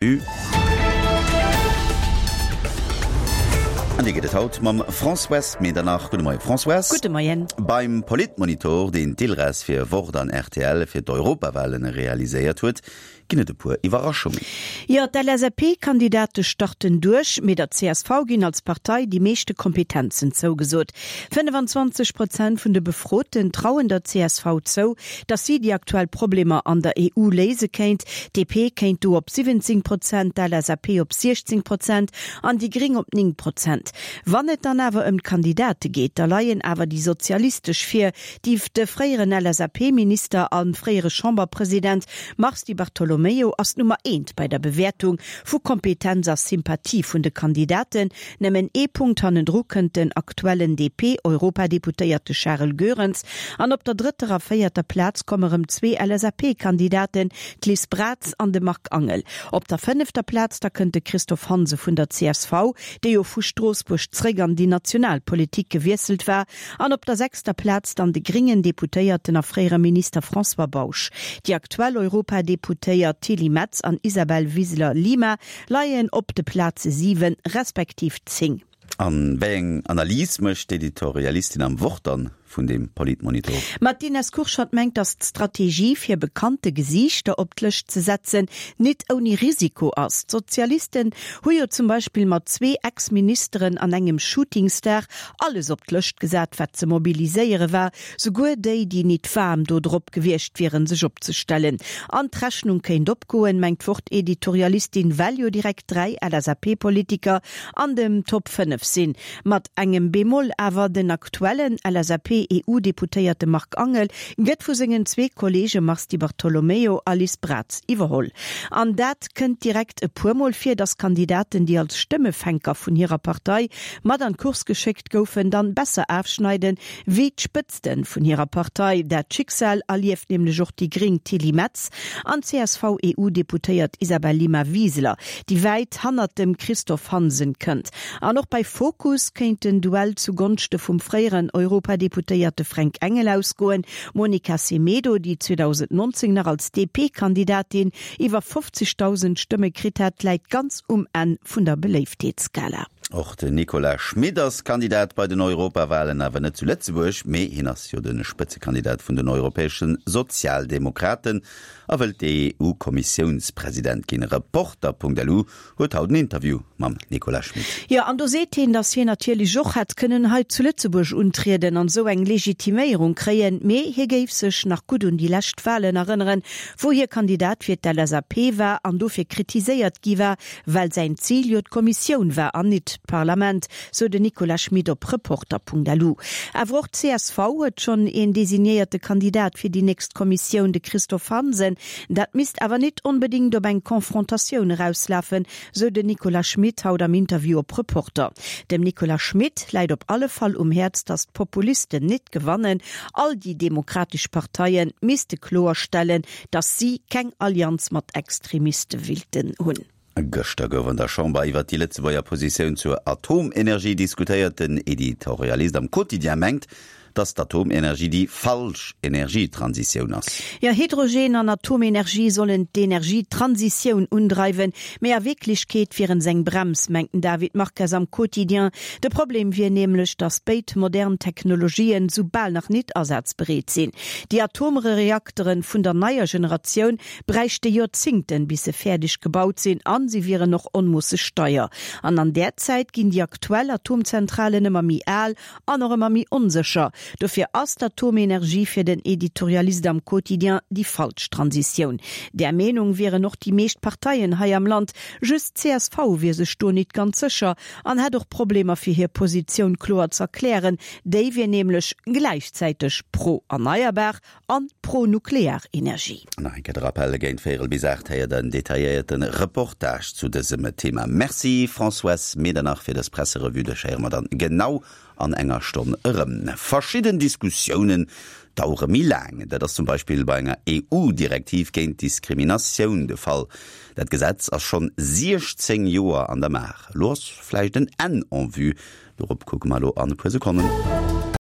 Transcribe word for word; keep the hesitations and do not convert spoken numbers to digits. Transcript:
An déi gëtt et haut mam Françoise Medernach. Gudde Moien, Françoise. Gudde Moien. Beim Politmonitor, deen d'ILRES fir Wort an rtl fir d'Europawahlen realiséiert huet, ginn et e puer Iwwerraschungen. Jo, d'LSAP-Kandidate starten duerch, mee der csv ginn als Partei déi meeschte Kompetenzen zougesot. fënnefenzwanzeg Prozent vun de Befroten trauen der csv zou, datt si déi aktuell Problemer an der EU léise kéint. D'DP kéint do op siwwenzéng Prozent, d'LSAP op siechzéng Prozent an déi Gréng op néng Prozent. Wann et dann awer ëm d'Kandidate geet, da leien awer déi Sozialistesch vir, déi de fréieren LSAP-Minister a fréiere Chamberpresident Mars Di Bartolomeo ass d'Nummer eent bei der Bewäertung vu Kompetenz a Sympathie vun de Kandidaten. Nëmmen ee Punkt hannendru kënnt den aktuellen D P-Europadeputéierte Charel Goerens an op der drëtter a véierter Plaz komme rëm zwee L S A P-Kandidaten, d'Liz Braz an de Marc Angel. Op der fënnefter Plaz da kënnt de Christophe Hansen vun der C S V, dee jo vu Stroossbuerg zréck an déi national Politik gewiesselt war, an op der sechster Plaz dann de gréngen Deputéierten a fréiere Minister François Bausch. Déi aktuell Europadeputéiert Tilly Metz an Isabel Wiseler-Lima leien op de Plaze siwen respektiv zéng. A wéi eng Analys mécht d'Editorialistin am Wort dann vun deem Politmonitor? Ma d'Ines Kurschat mengt, datt d'Strategie, fir bekannte Gesiichter op d'Lëscht ze setzen, nit ouni Risiko ass. D'Sozialisten hu jo zum Beispill mat zwee Ex-Ministeren an engem Shootingstar alles op d'Lëscht gesat, wat ze mobiliséiere war, souguer déi, déi nit waarm do drop gewiescht wieren, sech opzestellen. An d'Rechnung kéint opgoen, mengt d'Wort-Editorialistin, well jo direkt dräi L S A P-Politiker an dem Top fënnef sinn. Mat engem Bémol awer, Den aktuellen L S A P-E U-Deputéierte Marc Angel gëtt vu sengen zwee Kolleege Mars Di Bartolomeo a Liz Braz iwwerholl. An dat kënnt direkt e puermol vir, datt Kandidaten, déi als Stëmmefänker vun hirer Partei mat an d'Course geschéckt goufen, dann besser ofschneiden, wéi d'Spëtzte vun hirer Partei. Dat Schicksal erlieft nämlech och déi gréng Tilly Metz an d'C S V-E U-Deputéiert Isabelle Lima Wiseler, déi wäit hannert dem Christophe Hansen kënnt. An och bei Fokus kéint den Duell zu Gonschte vum fréieren Europadeputéierte Fränk Engel ausgoen. D'Monica Semedo, déi zweedausendnonzéng nach als D P-Kandidatin iwwer fofzegdausend Stëmme kritt hat, läit ganz um Enn vun der Beléiftheetsskala. Och den Nicolas Schmit ass Kandidat bei den Europawahlen, awer net zu Lëtzebuerg, mee hien ass jo de Spëtzekandidat vun den europäesche Sozialdemokraten a wëllt E U-Kommissiounspresident ginn. Reporter Punkt L U huet haut en Interview mam Nicolas Schmit. Jo, an do seet hien, datt hien natierlech och hätt kënnen hei zu Lëtzebuerg untrieden an esou eng Legitiméierung kréien, mee hie géif sech nach gutt un déi lescht Wahlen erënneren, wou hie Kandidat fir d'L S A P war an dofir kritiséiert gi war, well säin Zil jo d'Kommissioun war an nit d'Parlament, sou den Nicolas Schmit op Reporter Punkt L U. Awer och d'C S V huet schonn een designéierte Kandidat fir déi nächst Kommissioun, de Christophe Hansen. Dat misst awer nit onbedéngt op eng Konfrontatioun erauslafen, sou den Nicolas Schmit haut am Interview op Reporter. Dem Nicolas Schmit läit op alle Fall um Häerz, datt d'Populisten nit gewannen. All déi demokratesch Parteie misste kloerstellen, datt si keng Allianz mat Extremiste willten hunn. Gëschter gouf an der Chamber iwwer déi Lëtzebuerger Positioun zur Atomenergie diskutéiert. Den Editorialist am Quotidien mengt, datt d'Atomenergie déi falsch Energietransitioun ass. Jo, Hydrogen an Atomenergie sollen d'Energietransitioun undreiwen, mee a Wierklechkeet wieren se eng Brems, mengt den David Marques am Quotidien. De Problem wier nämlech, datt béid modern Technologien sou bal nach nit asazbereet sinn. Déi Atomreakteren vun der neier Generatioun bräichte Joerzingten, bis se fäerdeg gebaut sinn, an si wieren och onmoosseg deier. An an där Zäit ginn déi aktuell Atomzentralen ëmmer méi al an och ëmmer méi onsécher. Dofir ass d'Atomenergie fir den Editorialist am Quotidien déi falsch Transitioun. Där Meenung wieren och déi meescht Parteien hei am Land, just d'C S V wier sech do nit ganz sécher an hätt och Problemer fir hir Positioun kloer z'erklären, déi wier nämlech gläichzäiteg pro erneierbar an pro nuklear Energie. Nach eng Kéier de Rappel, Géint véierel bis aacht héiert der en detailléierte Reportage zu dësem Thema. Merci Françoise Medernach fir dës Presserevue. Dech héiere mer dann genau an enger Stonn erëm. Verschidden Diskussiounen dauere méi laang. Dat ass zum Beispill bei enger E U-Direktiv géint Diskriminatioun de Fall. Dat Gesetz ass schonn siechzéng Joer an der Maach. Elo ass vläicht en Enn en vue. Dorop kucke mer elo an e puer Sekonnen.